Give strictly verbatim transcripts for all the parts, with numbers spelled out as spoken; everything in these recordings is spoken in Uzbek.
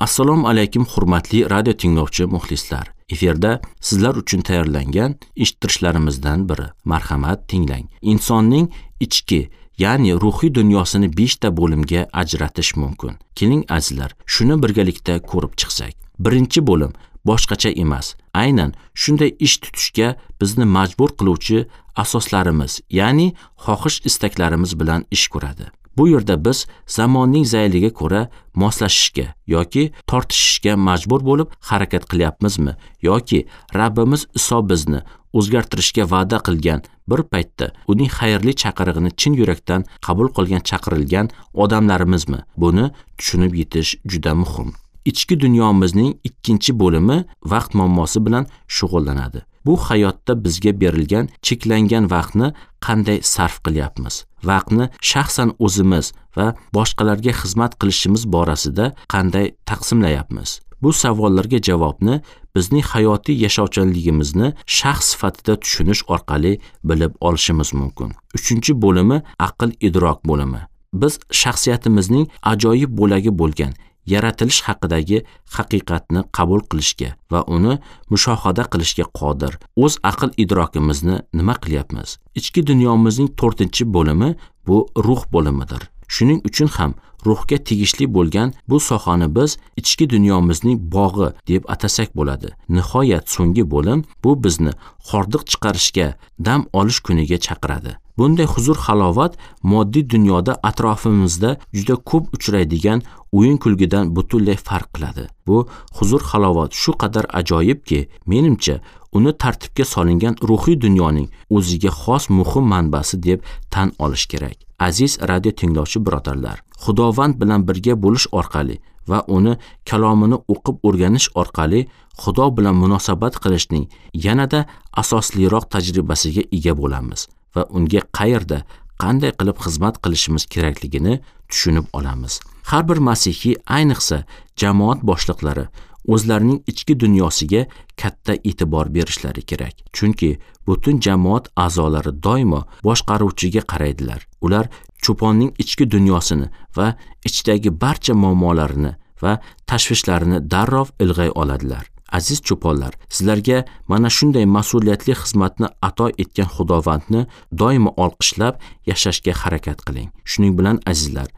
Assalomu alaykum hurmatli radio tinglovchi muxlislar. Efirda sizlar uchun tayyorlangan eshittirishlarimizdan biri. Marhamat, tinglang. Insonning ichki, ya'ni ruhiy dunyosini besh ta bo'limga ajratish mumkin. Keling azizlar, shuni birgalikda ko'rib chiqsak. Birinchi bo'lim boshqacha emas. Aynan shunday ish tutishga bizni majbur qiluvchi asoslarimiz, ya'ni xohish istaklarimiz bilan ish ko'radi. Bu yerda biz zamonning zayliga ko'ra moslashishga yoki tortishishga majbur bo'lib harakat qilyapmizmi yoki Rabbimiz Iso bizni o'zgartirishga va'da qilgan bir paytda uning xayrli chaqirig'ini chin yurakdan qabul qilgan chaqirilgan odamlarimizmi? Buni tushunib yetish juda muhim. Ichki dunyomizning ikkinchi bo'limi vaqt muammosi bilan shug'ullanadi. Bu hayotda bizga berilgan cheklangan vaqtni qanday sarf qilyapmiz? Vaqtni shaxsan o'zimiz va boshqalarga xizmat qilishimiz borasida qanday taqsimlayapmiz? Bu savollarga javobni bizning hayotiy yashovchanligimizni shaxs sifatida tushunish orqali bilib olishimiz mumkin. Uchinchi bo'limi aql idrok bo'limi. Biz shaxsiyatimizning ajoyib bo'lagi bo'lgan yaratilish haqidagi haqiqatni qabul qilishga va uni mushohada qilishga qodir. O'z aql idrokimizni nima qilyapmiz? Ichki dunyomizning to'rtinchi bo'limi bu ruh bo'limidir. Shuning uchun ham ruhga tegishli bo'lgan bu sohani biz ichki dunyomizning bog'i deb atasak bo'ladi. Nihoyat so'nggi bo'lim bu bizni hordiq chiqarishga, dam olish kuniga chaqiradi. Bunday huzur halovat moddiy dunyoda atrofimizda juda ko'p uchraydigan o'yin kulgidan butunlay farq qiladi. Bu huzur halovat shu qadar ajoyibki, menimcha uni tartibga solingan ruhiy dunyoning o'ziga xos muhim manbasi deb tan olish kerak. Aziz radio tinglovchi birodarlar, Xudovand bilan birga bo'lish orqali va uni kalomini o'qib o'rganish orqali Xudo bilan munosabat qilishning yanada asosliroq tajribasiga ega bo'lamiz va unga qayerda, qanday qilib xizmat qilishimiz kerakligini tushunib olamiz. Har bir masihiy, ayniqsa jamoat boshliqlari o'zlarining ichki dunyosiga katta e'tibor berishlari kerak. Chunki butun jamoat a'zolari doimo boshqaruvchiga qaraydilar. Ular cho'ponning ichki dunyosini va ichidagi barcha muammolarini va tashvishlarini darrov ilg'ay oladilar. Aziz cho'ponlar, sizlarga mana shunday mas'uliyatli xizmatni ato etgan Xudovandni doimo olqishlab yashashga harakat qiling. Shuning bilan azizlar,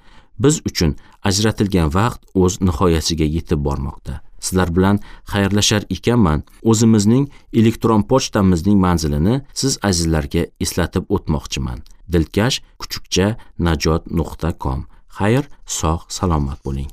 biz uchun ajratilgan vaqt o'z nihoyasiga yetib bormoqda. Sizlar bilan xayrlashar ekanman, o'zimizning elektron pochtamizning manzilini siz azizlarga eslatib o'tmoqchiman. Dilkash kuchukcha najot nuqta com. Xayr, sog', salomat bo'ling.